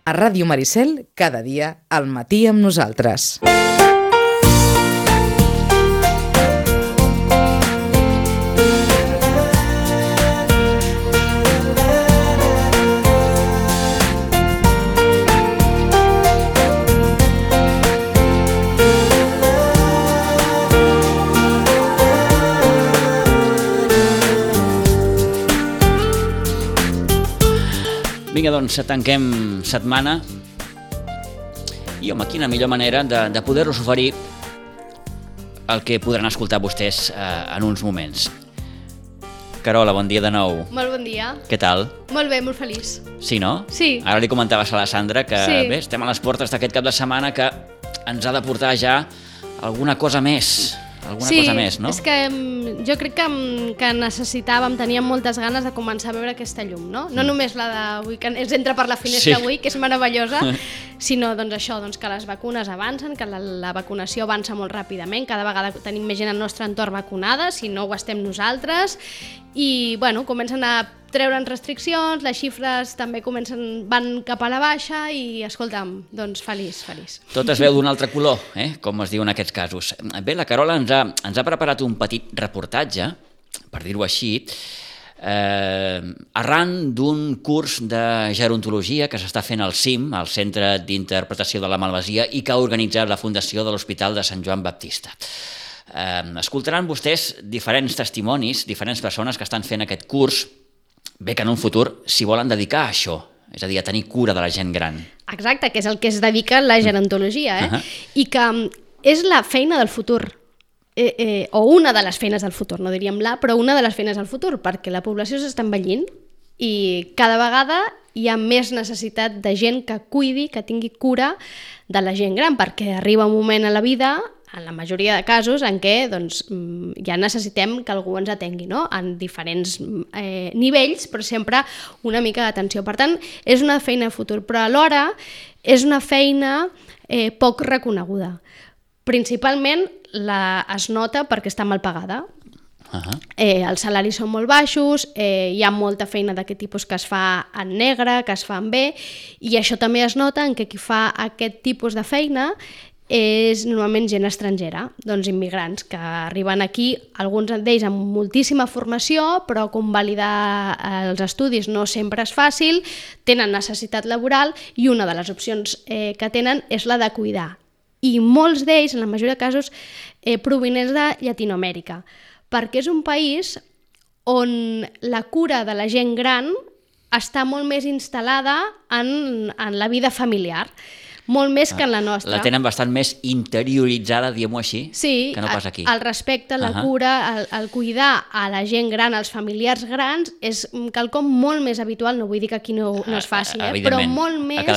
A Ràdio Maricel, cada dia, al matí amb nosaltres. Vinga, doncs, tanquem setmana i, home, quina millor manera de poder-los oferir el que podran escoltar vostès en uns moments. Carola, bon dia de nou. Molt bon dia. Què tal? Molt bé, molt feliç. Sí, no? Sí. Ara li comentaves a la Sandra que Sí. estem a les portes d'aquest cap de setmana que ens ha de portar ja alguna cosa més. Cosa més, no? És que jo crec que necessitàvem, teníem moltes ganes de començar a veure aquesta llum, no? No només la d'avui, que ens entra per la finestra avui, que és meravellosa, sinó doncs això, doncs que les vacunes avancen, que la vacunació avança molt ràpidament, cada vegada tenim més gent al nostre entorn vacunada, si no ho estem nosaltres, i bueno, comencen a treure'n restriccions, les xifres també van cap a la baixa i, escolta'm, doncs feliç. Tot es veu d'un altre color, com es diu en aquests casos. Bé, la Carola ens ha preparat un petit reportatge, per dir-ho així, arran d'un curs de gerontologia que s'està fent al CIM, al Centre d'Interpretació de la Malvasia, i que ha organitzat la Fundació de l'Hospital de Sant Joan Baptista. Escoltaran vostès diferents testimonis, diferents persones que estan fent aquest curs, bé que en un futur s'hi volen dedicar a això, és a dir, a tenir cura de la gent gran. Exacte, que és el que es dedica la gerontologia, i que és la feina del futur, o una de les feines del futur, no diríem però una de les feines del futur, perquè la població s'està envellint i cada vegada hi ha més necessitat de gent que cuidi, que tingui cura de la gent gran, perquè arriba un moment a la vida, en la majoria de casos, en què doncs, ja necessitem que algú ens atengui, no? En diferents nivells, però sempre una mica d'atenció. Per tant, és una feina de futur, però alhora és una feina poc reconeguda. Principalment es nota perquè està mal pagada. Els salaris són molt baixos, hi ha molta feina d'aquest tipus que es fa en negre, que es fa en bé, i això també es nota en que qui fa aquest tipus de feina és normalment gent estrangera, doncs immigrants que arriben aquí, alguns d'ells amb moltíssima formació, però convalidar els estudis no sempre és fàcil, tenen necessitat laboral i una de les opcions que tenen és la de cuidar. I molts d'ells, en la majoria de casos, provinents de Llatinoamèrica, perquè és un país on la cura de la gent gran està molt més instal·lada en la vida familiar, molt més que en la nostra. La tenen bastant més interioritzada, diguem-ho així, que no pas aquí. Sí, el respecte, la cura, el cuidar a la gent gran, als familiars grans, és quelcom molt més habitual, no vull dir que aquí no es faci, però molt més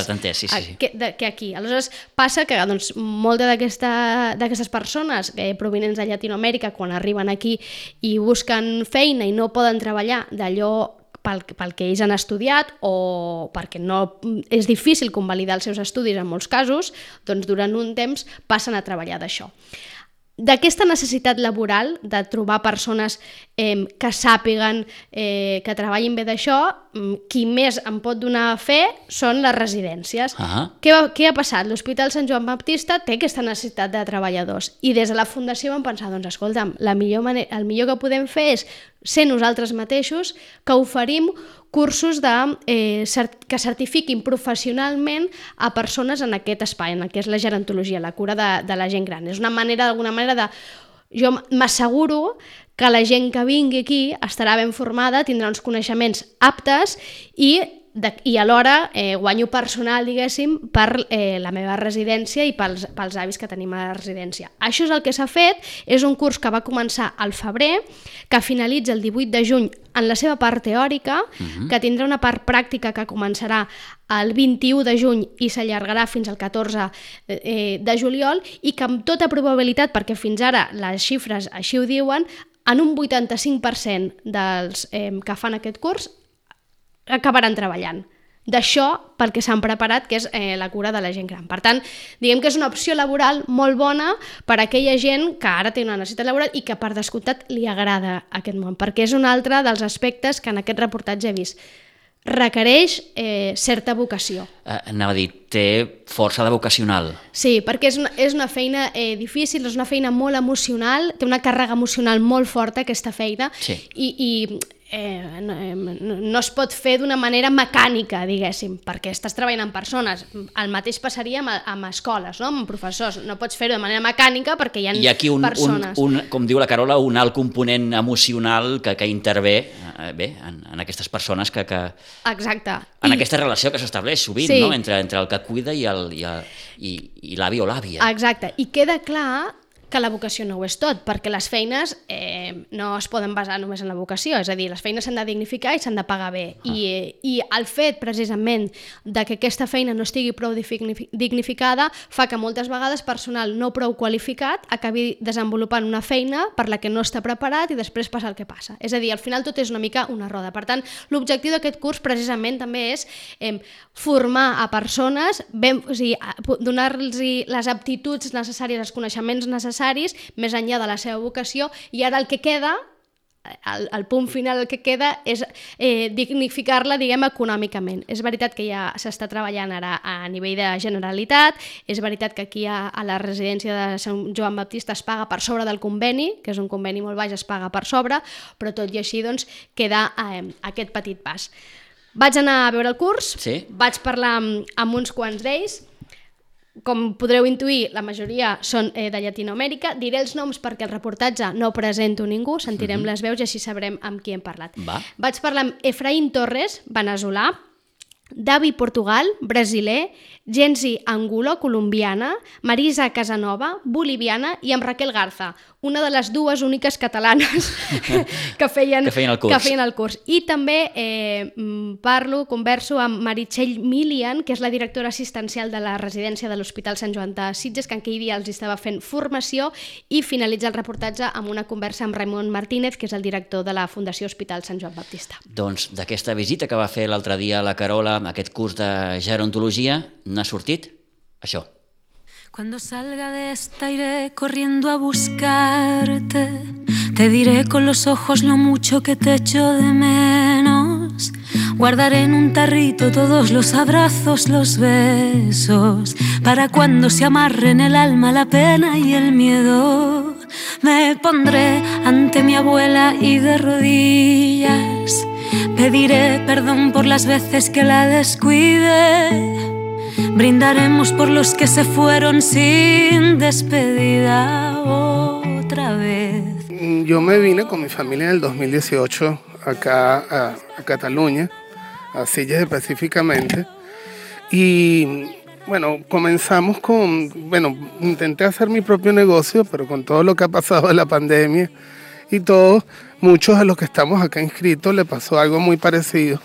que aquí. Aleshores, passa que doncs, moltes d'aquestes persones provinents de Llatinoamèrica, quan arriben aquí i busquen feina i no poden treballar d'allò pel que ells han estudiat o perquè no és difícil convalidar els seus estudis en molts casos, doncs durant un temps passen a treballar d'això. D'aquesta necessitat laboral, de trobar persones que sàpiguen, que treballin bé d'això, qui més en pot donar fe són les residències. Què ha passat? L'Hospital Sant Joan Baptista té aquesta necessitat de treballadors i des de la Fundació vam pensar, doncs escolta'm, el millor que podem fer és ser nosaltres mateixos que oferim cursos que certifiquin professionalment a persones en aquest espai, en el que és la gerontologia, la cura de la gent gran. És una manera, d'alguna manera, de... Jo m'asseguro que la gent que vingui aquí estarà ben formada, tindrà uns coneixements aptes i alhora guanyo personal, diguéssim, per la meva residència i pels avis que tenim a la residència. Això és el que s'ha fet, és un curs que va començar al febrer, que finalitza el 18 de juny en la seva part teòrica, que tindrà una part pràctica que començarà el 21 de juny i s'allargarà fins al 14 de juliol i que amb tota probabilitat, perquè fins ara les xifres així ho diuen, en un 85% dels que fan aquest curs acabaran treballant. D'això pel que s'han preparat, que és la cura de la gent gran. Per tant, diguem que és una opció laboral molt bona per a aquella gent que ara té una necessitat laboral i que per descomptat li agrada aquest món, perquè és un altre dels aspectes que en aquest reportatge he vist. requereix certa vocació. Anava a dir, té força de vocacional. Sí, perquè és una feina difícil, és una feina molt emocional, té una càrrega emocional molt forta aquesta feina, sí. i no es pot fer d'una manera mecànica, diguéssim, perquè estàs treballant amb persones. El mateix passaria amb escoles, no? Amb professors. No pots fer-ho de manera mecànica perquè hi ha persones. Hi ha aquí, com diu la Carola, un alt component emocional que intervé en aquestes persones que... Exacte. En aquesta relació que s'estableix sovint, sí, no? entre el que cuida i l'avi o l'àvia. Exacte. I queda clar que la vocació no ho és tot, perquè les feines no es poden basar només en la vocació, és a dir, les feines s'han de dignificar i s'han de pagar bé. I el fet, precisament, de que aquesta feina no estigui prou dignificada fa que moltes vegades personal no prou qualificat acabi desenvolupant una feina per la que no està preparat i després passa el que passa. És a dir, al final tot és una mica una roda. Per tant, l'objectiu d'aquest curs, precisament, també és formar a persones, donar-los les aptituds necessàries, els coneixements necessaris, més enllà de la seva vocació, i ara el que queda, el punt final que queda és dignificar-la, diguem, econòmicament. És veritat que ja s'està treballant ara a nivell de Generalitat, és veritat que aquí a la residència de Sant Joan Baptista es paga per sobre del conveni, que és un conveni molt baix, es paga per sobre, però tot i així doncs, queda aquest petit pas. Vaig anar a veure el curs, sí, vaig parlar amb uns quants d'ells. Com podreu intuir, la majoria són de Llatinoamèrica. Diré els noms perquè el reportatge no presento ningú, sentirem les veus i així sabrem amb qui hem parlat. Vaig parlar amb Efraín Torres, veneçolà, Davi Portugal, brasiler, Gensi Angulo, colombiana, Marisa Casanova, boliviana, i amb Raquel Garza, una de les dues úniques catalanes que feien el curs. I també converso amb Meritxell Milian, que és la directora assistencial de la residència de l'Hospital Sant Joan de Sitges, que en aquell dia els estava fent formació, i finalitza el reportatge amb una conversa amb Raimon Martínez, que és el director de la Fundació Hospital Sant Joan Baptista. Doncs d'aquesta visita que va fer l'altre dia la Carola, aquest curs de gerontologia, n'ha sortit això. Cuando salga de esta iré corriendo a buscarte, te diré con los ojos lo mucho que te echo de menos, guardaré en un tarrito todos los abrazos, los besos, para cuando se amarren el alma, la pena y el miedo, me pondré ante mi abuela y de rodillas pediré perdón por las veces que la descuide. Brindaremos por los que se fueron sin despedida otra vez. Yo me vine con mi familia en el 2018 acá a Cataluña, a Sitges específicamente. Y bueno, comenzamos intenté hacer mi propio negocio, pero con todo lo que ha pasado de la pandemia y todo, muchos de los que estamos acá inscritos le pasó algo muy parecido.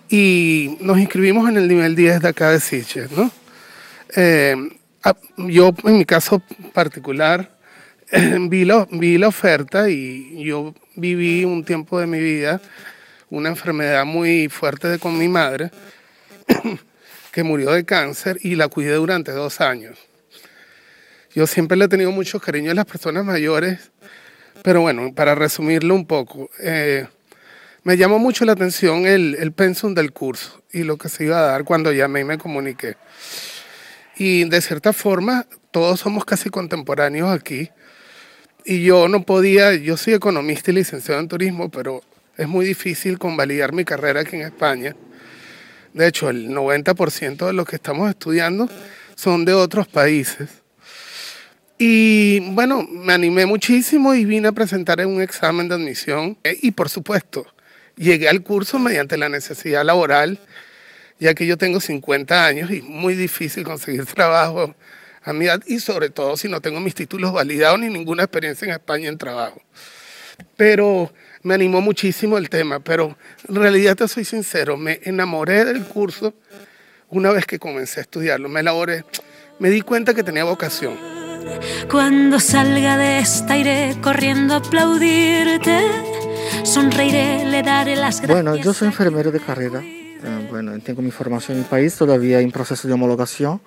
Y nos inscribimos en el nivel 10 de acá de Sitges, ¿no? Yo, en mi caso particular, vi la oferta y yo viví un tiempo de mi vida una enfermedad muy fuerte con mi madre, que murió de cáncer, y la cuidé durante 2 años. Yo siempre le he tenido mucho cariño a las personas mayores, pero bueno, para resumirlo un poco, me llamó mucho la atención el pensum del curso y lo que se iba a dar cuando llamé y me comuniqué. Y de cierta forma, todos somos casi contemporáneos aquí. Y yo no podía, yo soy economista y licenciado en turismo, pero es muy difícil convalidar mi carrera aquí en España. De hecho, el 90% de los que estamos estudiando son de otros países. Y bueno, me animé muchísimo y vine a presentar un examen de admisión. Y por supuesto, llegué al curso mediante la necesidad laboral, ya que yo tengo 50 años y es muy difícil conseguir trabajo a mi edad, y sobre todo si no tengo mis títulos validados ni ninguna experiencia en España en trabajo. Pero me animó muchísimo el tema, pero en realidad te soy sincero, me enamoré del curso una vez que comencé a estudiarlo. Me di cuenta que tenía vocación. Cuando salga de esta iré corriendo a aplaudirte, sonreiré, le daré las gracias. Bueno, yo soy enfermero de carrera. Tengo mi formación en mi país, todavía en proceso de homologación.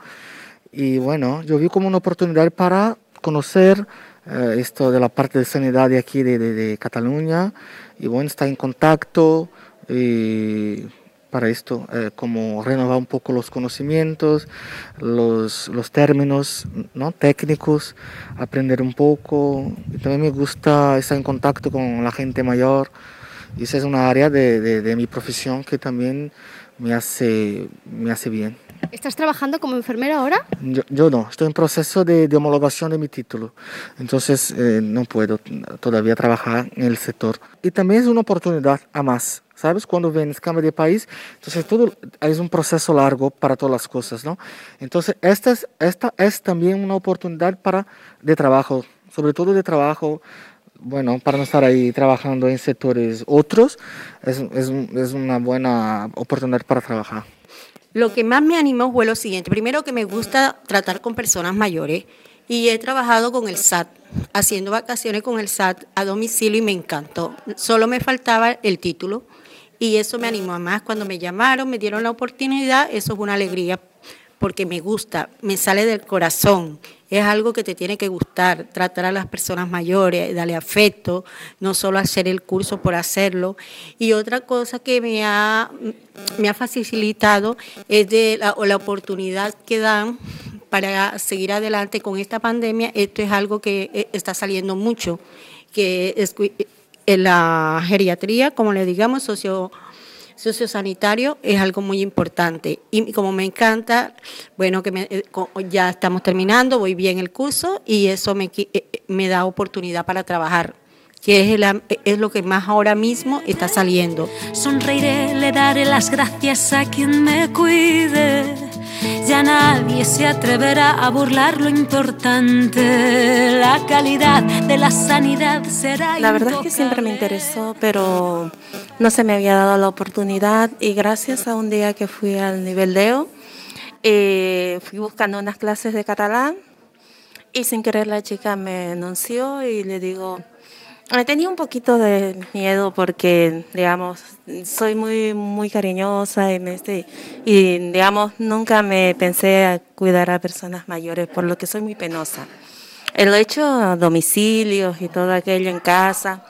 Y bueno, yo vi como una oportunidad para conocer esto de la parte de sanidad de aquí de Cataluña. Y bueno, estar en contacto para esto, como renovar un poco los conocimientos, los términos, ¿no?, técnicos, aprender un poco. Y también me gusta estar en contacto con la gente mayor. Y esa es una área de mi profesión que también me hace bien. ¿Estás trabajando como enfermera ahora? Yo no, estoy en proceso de homologación de mi título, entonces no puedo todavía trabajar en el sector. Y también es una oportunidad a más, ¿sabes? Cuando vienes, cambio de país, entonces todo es un proceso largo para todas las cosas, ¿no? Entonces esta es también una oportunidad de trabajo, sobre todo de trabajo. Bueno, para no estar ahí trabajando en sectores otros, es una buena oportunidad para trabajar. Lo que más me animó fue lo siguiente. Primero, que me gusta tratar con personas mayores y he trabajado con el SAT, haciendo vacaciones con el SAT a domicilio y me encantó. Solo me faltaba el título y eso me animó. Más cuando me llamaron, me dieron la oportunidad, eso es una alegría porque me gusta, me sale del corazón. Es algo que te tiene que gustar, tratar a las personas mayores, darle afecto, no solo hacer el curso por hacerlo. Y otra cosa que me ha facilitado es la oportunidad que dan para seguir adelante con esta pandemia. Esto es algo que está saliendo mucho, que es en la geriatría, como le digamos, sociosanitario, es algo muy importante. Y como me encanta, bueno, que ya estamos terminando, voy bien el curso y eso me da oportunidad para trabajar, que es lo que más ahora mismo está saliendo. Sonreiré, le daré las gracias a quien me cuide. Ya nadie se atreverá a burlar lo importante. La calidad de la sanidad será La verdad es que siempre me interesó, pero no se me había dado la oportunidad y gracias a un día que fui al nivel DEO, fui buscando unas clases de catalán y sin querer la chica me anunció y le digo, tenía un poquito de miedo porque, digamos, soy muy cariñosa y, digamos, nunca me pensé a cuidar a personas mayores, por lo que soy muy penosa. Lo he hecho a domicilios y todo aquello en casa,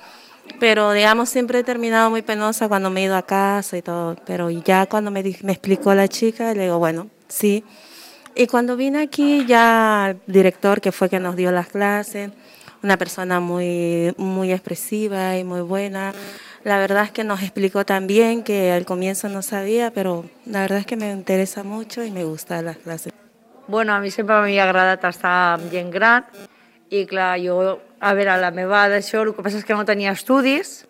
pero, digamos, siempre he terminado muy penosa cuando me he ido a casa y todo. Pero ya cuando me explicó la chica, le digo, bueno, sí. Y cuando vine aquí, ya el director, que fue que nos dio las clases, una persona muy expresiva y muy buena. La verdad es que nos explicó también que al comienzo no sabía, però la verdad es que me interesa mucho y me gustan las clases. Bueno, a mi sempre m'havia agradat estar amb gent gran i clar, jo, a veure, la meva d'això, el que passa és que no tenia estudis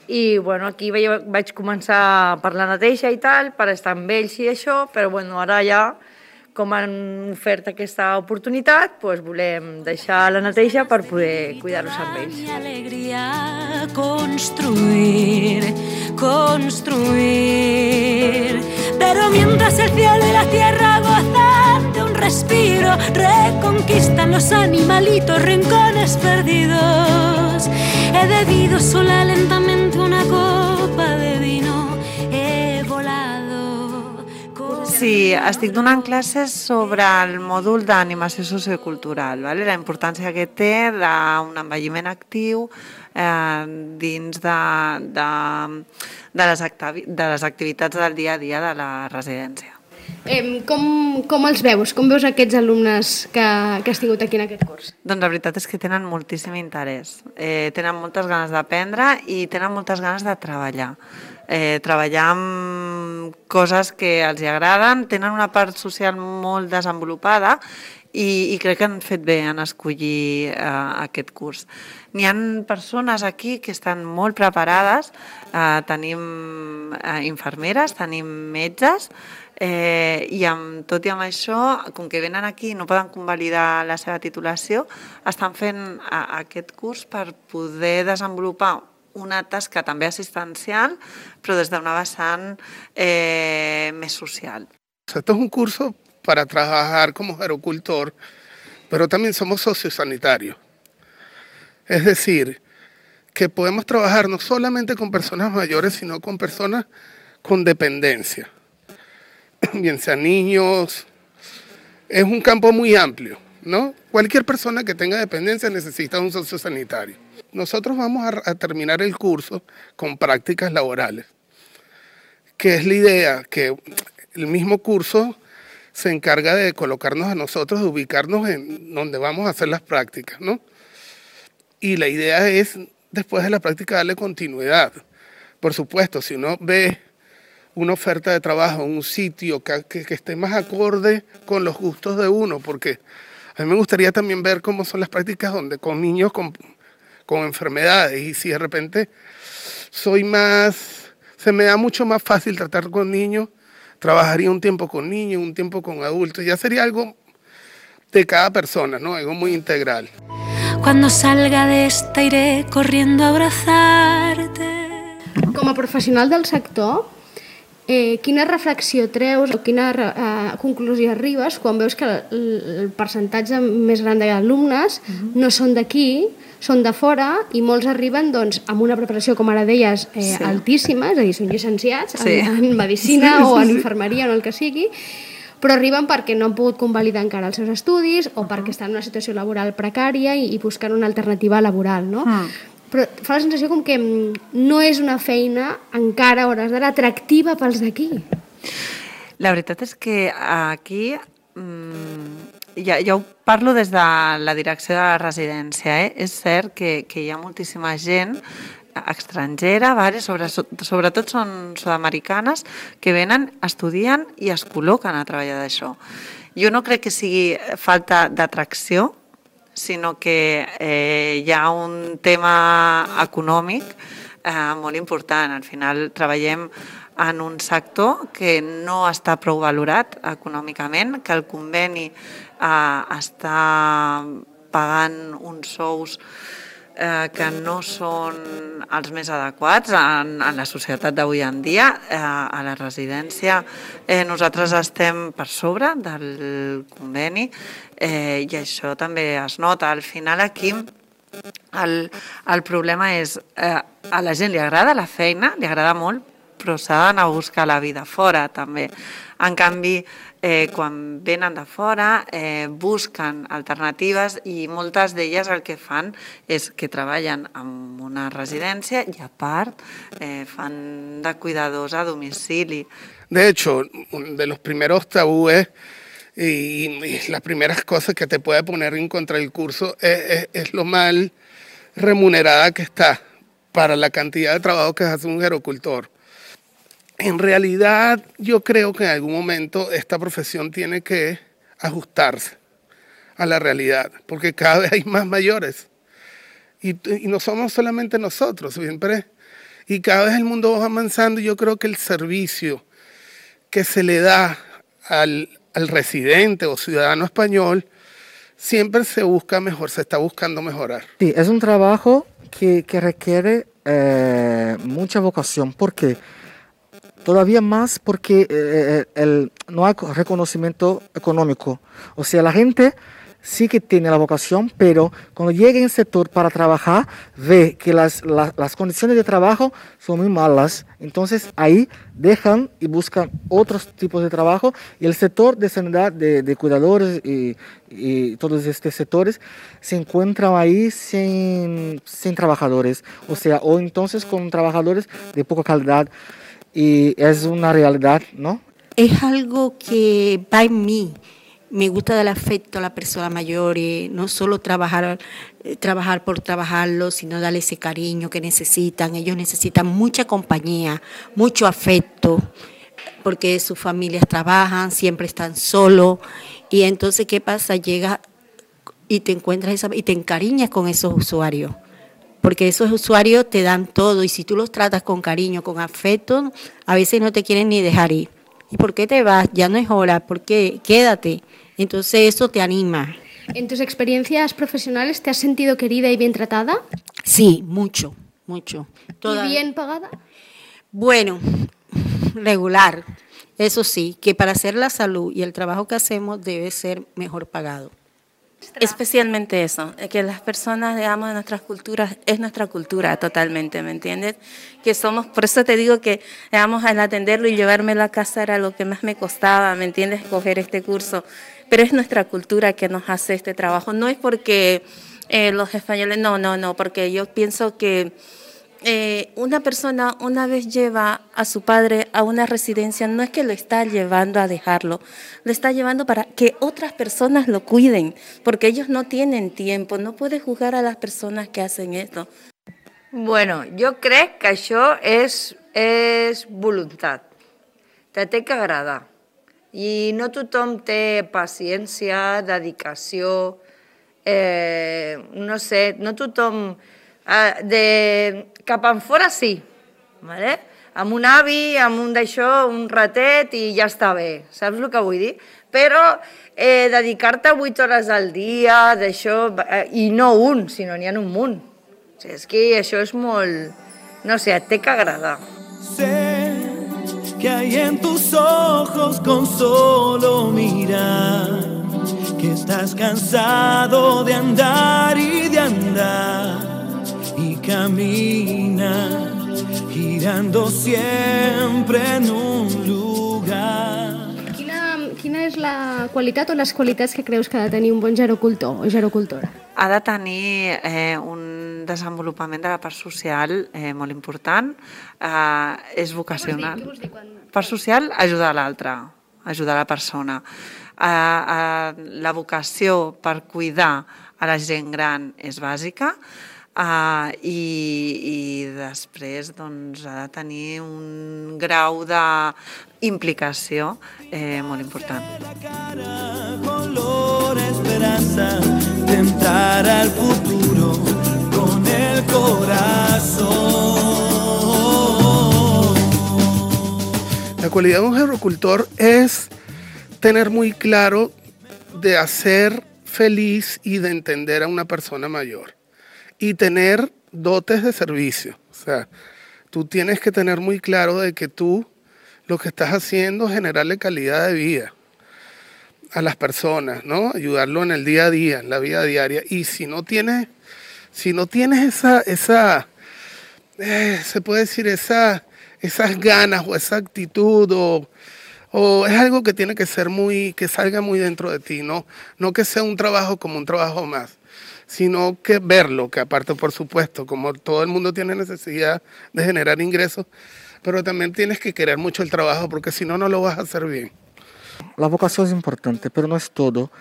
i bueno, aquí vaig començar per la neteja i tal, per estar amb ells i això, però bueno, ara ja com han ofert aquesta oportunitat, doncs volem deixar la neteja per poder cuidar-los amb ells. Mi alegría construir, pero mientras el cielo y la tierra gozan de un respiro, reconquistan los animalitos rincones perdidos. He bebido sola lentamente una copa de vino. Sí, estic donant classes sobre el mòdul d'animació sociocultural, vale? La importància que té d'un envelliment actiu dins de les activitats del dia a dia de la residència. Com els veus? Com veus aquests alumnes que has tingut aquí en aquest curs? Doncs la veritat és que tenen moltíssim interès, tenen moltes ganes d'aprendre i tenen moltes ganes de treballar. Treballar amb coses que els agraden, tenen una part social molt desenvolupada i crec que han fet bé en escollir aquest curs. N'hi ha persones aquí que estan molt preparades, tenim infermeres, tenim metges, i amb tot i amb això, com que venen aquí i no poden convalidar la seva titulació, estan fent aquest curs per poder desenvolupar una tasca també assistencial, però des d'una vessant més social. Esto es un curso para trabajar como gerocultor, pero también somos sociosanitarios. Es decir, que podemos trabajar no solamente con personas mayores, sino con personas con dependencia, bien sean niños. Es un campo muy amplio, ¿no? Cualquier persona que tenga dependencia necesita un sociosanitario. Nosotros vamos a terminar el curso con prácticas laborales, que es la idea, que el mismo curso se encarga de colocarnos a nosotros, de ubicarnos en donde vamos a hacer las prácticas, ¿no? Y la idea es, después de la práctica, darle continuidad. Por supuesto, si uno ve una oferta de trabajo en un sitio que esté más acorde con los gustos de uno, porque a mí me gustaría también ver cómo son las prácticas con niños con enfermedades, y si de repente se me da mucho más fácil tratar con niños, trabajaría un tiempo con niños, un tiempo con adultos, ya sería algo de cada persona, ¿no? Algo muy integral. Cuando salga de esta iré corriendo a abrazarte. Com a professional del sector, quina reflexió treus o quina conclusió arribes quan veus que el percentatge més gran d'alumnes no són d'aquí, són de fora, i molts arriben doncs, amb una preparació, com ara deies, altíssima, és a dir, són llicenciats en medicina o en infermeria o en el que sigui, però arriben perquè no han pogut convalidar encara els seus estudis o perquè estan en una situació laboral precària i busquen una alternativa laboral, no? Però fa la sensació com que no és una feina encara a hores d'ara atractiva pels d'aquí. La veritat és que aquí, ja ho parlo des de la direcció de la residència, és cert que hi ha moltíssima gent estrangera, sobretot són sud-americanes, que venen, estudien i es col·loquen a treballar d'això. Jo no crec que sigui falta d'atracció, sinó que hi ha un tema econòmic molt important. Al final treballem en un sector que no està prou valorat econòmicament, que el conveni està pagant uns sous que no són els més adequats en la societat d'avui en dia. A la residència nosaltres estem per sobre del conveni i això també es nota. Al final aquí el problema és a la gent li agrada la feina, li agrada molt, però s'ha d'anar a buscar la vida fora també. En canvi, quan venen de fora, busquen alternatives i moltes d'elles el que fan és que treballen en una residència i a part fan de cuidadors a domicili. De hecho, de los primeros tabúes y las primeras cosas que te puede poner en contra del curso es lo mal remunerada que está para la cantidad de trabajo que hace un gerocultor. En realidad, yo creo que en algún momento esta profesión tiene que ajustarse a la realidad, porque cada vez hay más mayores. Y no somos solamente nosotros, siempre. Y cada vez el mundo va avanzando y yo creo que el servicio que se le da al residente o ciudadano español siempre se busca mejor, se está buscando mejorar. Sí, es un trabajo que requiere mucha vocación, porque todavía más porque no hay reconocimiento económico. O sea, la gente sí que tiene la vocación, pero cuando llega en el sector para trabajar, ve que las condiciones de trabajo son muy malas. Entonces ahí dejan y buscan otros tipos de trabajo. Y el sector de sanidad, de cuidadores y todos estos sectores se encuentran ahí sin trabajadores. O sea, o entonces con trabajadores de poca calidad. Y es una realidad, ¿no? Es algo que va en mí. Me gusta dar afecto a las personas mayores, no solo trabajar por trabajarlo, sino darle ese cariño que necesitan. Ellos necesitan mucha compañía, mucho afecto, porque sus familias trabajan, siempre están solos. Y entonces, ¿qué pasa? Llega y te encuentras y te encariñas con esos usuarios. Porque esos usuarios te dan todo y si tú los tratas con cariño, con afecto, a veces no te quieren ni dejar ir. ¿Y por qué te vas? Ya no es hora, ¿por qué? Quédate. Entonces eso te anima. ¿En tus experiencias profesionales te has sentido querida y bien tratada? Sí, mucho, mucho. ¿Y bien pagada? Bueno, regular. Eso sí, que para hacer la salud y el trabajo que hacemos debe ser mejor pagado. Especialmente eso, que las personas, digamos, de nuestras culturas, es nuestra cultura totalmente, ¿me entiendes? Que somos, por eso te digo que, digamos, al atenderlo y llevármelo a casa era lo que más me costaba, ¿me entiendes? Coger este curso, pero es nuestra cultura que nos hace este trabajo, no es porque los españoles, no, porque yo pienso que una persona una vez lleva a su padre a una residencia, no es que lo está llevando a dejarlo, lo está llevando para que otras personas lo cuiden, porque ellos no tienen tiempo, no puedes juzgar a las personas que hacen esto. Bueno, jo crec que això és voluntat, te té que agradar. I no tothom té paciència, dedicació, no sé, no tothom... Cap enfora sí, ¿vale? Amb un avi, amb un d'això, un ratet i ja està bé, saps el que vull dir? Però dedicar-te 8 hores al dia, d'això, i no un, sinó n'hi ha un munt. O sigui, és que això és molt... No sé, et té que agradar. Sé que hay en tus ojos con solo mirar que estás cansado de andar y de andar y camina girando siempre en un lugar. Quina és la qualitat o les qualitats que creus que ha de tenir un bon gerocultor o gerocultora? Ha de tenir un desenvolupament de la part social molt important, és vocacional. Què vols dir quan... Part social, ajudar l'altre, ajudar la persona. La vocació per cuidar a la gent gran és bàsica, i després doncs, ha de tenir un grau d'implicació molt important. Tentar al futuro con el corazón. La cualidad de un gerocultor es tener muy claro de hacer feliz y de entender a una persona mayor. Y tener dotes de servicio. O sea, tú tienes que tener muy claro de que tú lo que estás haciendo es generarle calidad de vida a las personas, ¿no? Ayudarlo en el día a día, en la vida diaria. Y si no tienes esa se puede decir, esas ganas o esa actitud o es algo que tiene que ser que salga muy dentro de ti, no que sea un trabajo como un trabajo más, sino que verlo, que aparte, por supuesto, como todo el mundo tiene necesidad de generar ingresos, pero también tienes que querer mucho el trabajo, porque si no, no lo vas a hacer bien. La vocación es importante, pero no es todo,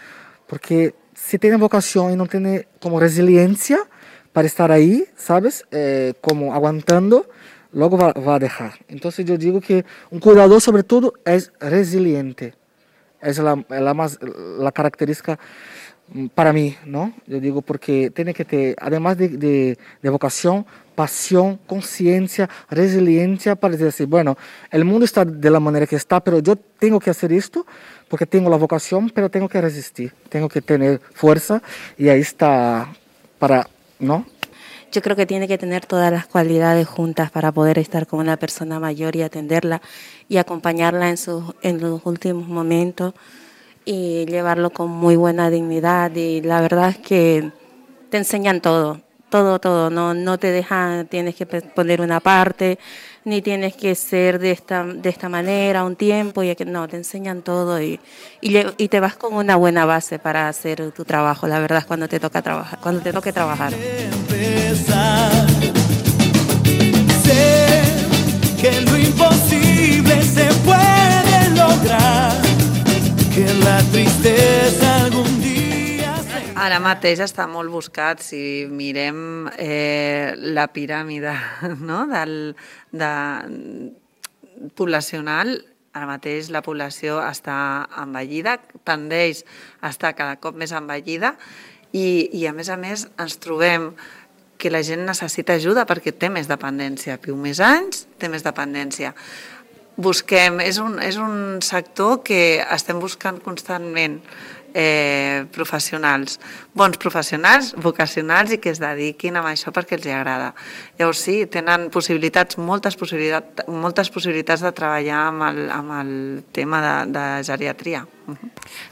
porque si tiene vocación y no tiene como resiliencia para estar ahí, ¿sabes? Como aguantando, luego va a dejar. Entonces yo digo que un cuidador sobre todo es resiliente, es la característica para mí, ¿no? Yo digo porque tiene que tener, además de vocación, pasión, conciencia, resiliencia para decir, bueno, el mundo está de la manera que está, pero yo tengo que hacer esto porque tengo la vocación, pero tengo que resistir, tengo que tener fuerza y ahí está para, ¿no? Yo creo que tiene que tener todas las cualidades juntas para poder estar con una persona mayor y atenderla y acompañarla en los últimos momentos y llevarlo con muy buena dignidad. Y la verdad es que te enseñan todo, no te dejan, tienes que poner una parte, ni tienes que ser de esta manera un tiempo, no, te enseñan todo y te vas con una buena base para hacer tu trabajo, la verdad es cuando te toque trabajar. Sé que lo imposible se puede lograr, que la tristeza algún día... Ara mateix està molt buscat, si mirem la piràmide, no? Poblacional, ara mateix la població està envellida, tendeix a estar cada cop més envellida i a més ens trobem que la gent necessita ajuda perquè té més dependència, viu més anys, té més dependència. Busquem, és un sector que estem buscant constantment professionals, bons professionals, vocacionals i que es dediquin a això perquè els agrada. Llavors sí, tenen moltes possibilitats de treballar amb el tema de geriatria.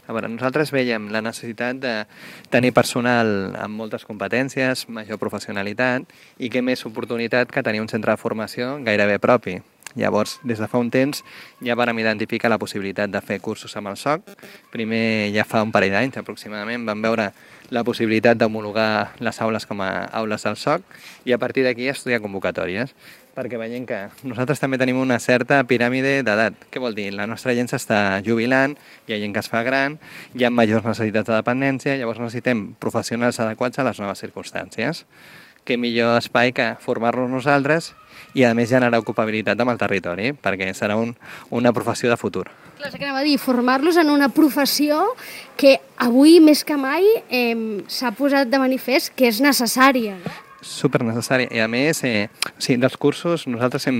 A veure, nosaltres veiem la necessitat de tenir personal amb moltes competències, major professionalitat i que més oportunitat que tenir un centre de formació gairebé propi. Llavors, des de fa un temps ja vàrem identificar la possibilitat de fer cursos amb el SOC. Primer, ja fa un parell d'anys aproximadament, vam veure la possibilitat d'homologar les aules com a aules del SOC i a partir d'aquí estudiar convocatòries, perquè veiem que nosaltres també tenim una certa piràmide d'edat. Què vol dir? La nostra gent s'està jubilant, hi ha gent que es fa gran, hi ha majors necessitats de dependència, llavors necessitem professionals adequats a les noves circumstàncies. Què millor espai que formar-nos nosaltres i a més generar ocupabilitat amb el territori, perquè serà una professió de futur. Clar, és que anava a dir, formar-los en una professió que avui més que mai s'ha posat de manifest que és necessària. Supernecessari. I a més, dels cursos, nosaltres hem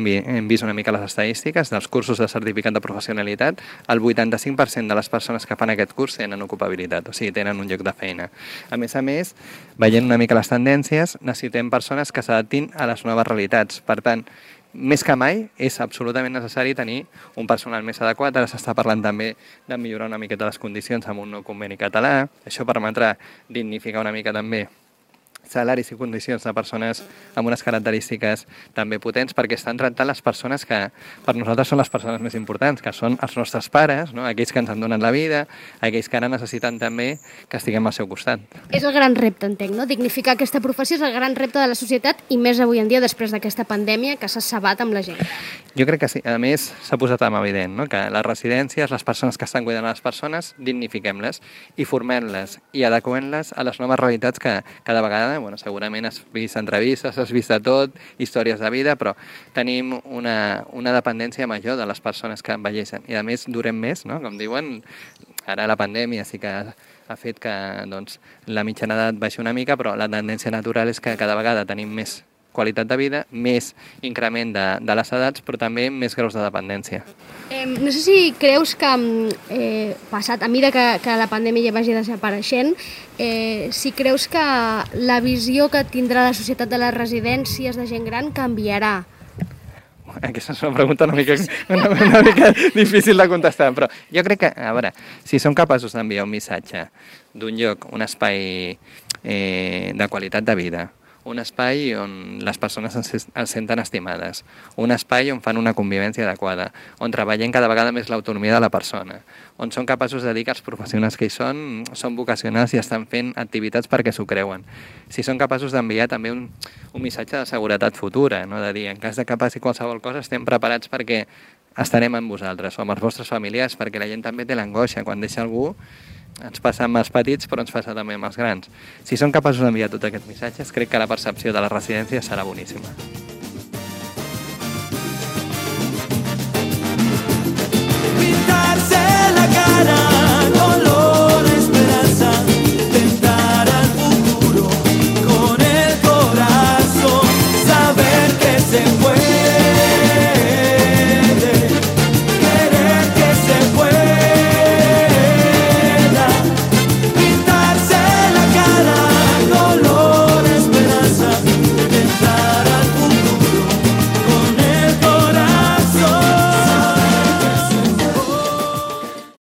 vist una mica les estadístiques, dels cursos de certificat de professionalitat, el 85% de les persones que fan aquest curs tenen ocupabilitat, o sigui, tenen un lloc de feina. A més, veient una mica les tendències, necessitem persones que s'adaptin a les noves realitats. Per tant, més que mai és absolutament necessari tenir un personal més adequat. Ara s'està parlant també de millorar una miqueta les condicions amb un nou conveni català. Això permetrà dignificar una mica també salaris i condicions de persones amb unes característiques també potents, perquè estan tractant les persones que per nosaltres són les persones més importants, que són els nostres pares, no? Aquells que ens han donat la vida, aquells que ara necessiten també que estiguem al seu costat. És el gran repte, entenc, no? Dignificar aquesta professió és el gran repte de la societat i més avui en dia després d'aquesta pandèmia que s'ha cebat amb la gent. Jo crec que sí. A més, s'ha posat en evident, no? Que les residències, les persones que estan cuidant a les persones, dignifiquem-les i formem-les i adequem-les a les noves realitats que cada vegada segurament has vist entrevistes, has vist de tot, històries de vida, però tenim una dependència major de les persones que envelleixen. I a més durem més, no? Com diuen, ara la pandèmia sí que ha fet que la mitjana edat baixi una mica, però la tendència natural és que cada vegada tenim més qualitat de vida, més increment de les edats, però també més graus de dependència. No sé si creus que, passat a mesura que la pandèmia ja vagi desapareixent, si creus que la visió que tindrà la societat de les residències de gent gran canviarà. Aquesta és una pregunta una mica difícil de contestar, però jo crec que, a veure, si som capaços d'enviar un missatge d'un lloc, un espai de qualitat de vida, un espai on les persones es senten estimades, un espai on fan una convivència adequada, on treballem cada vegada més l'autonomia de la persona, on són capaços de dir que els professionals que hi són vocacionals i estan fent activitats perquè s'ho creuen. Si són capaços d'enviar també un missatge de seguretat futura, no? De dir, en cas de que passi qualsevol cosa, estem preparats perquè estarem amb vosaltres o amb els vostres familiars, perquè la gent també té l'angoixa. Quan deixa algú, ens passa amb els petits, però ens passa també amb els grans. Si són capaços d'enviar tots aquests missatges, crec que la percepció de la residència serà boníssima.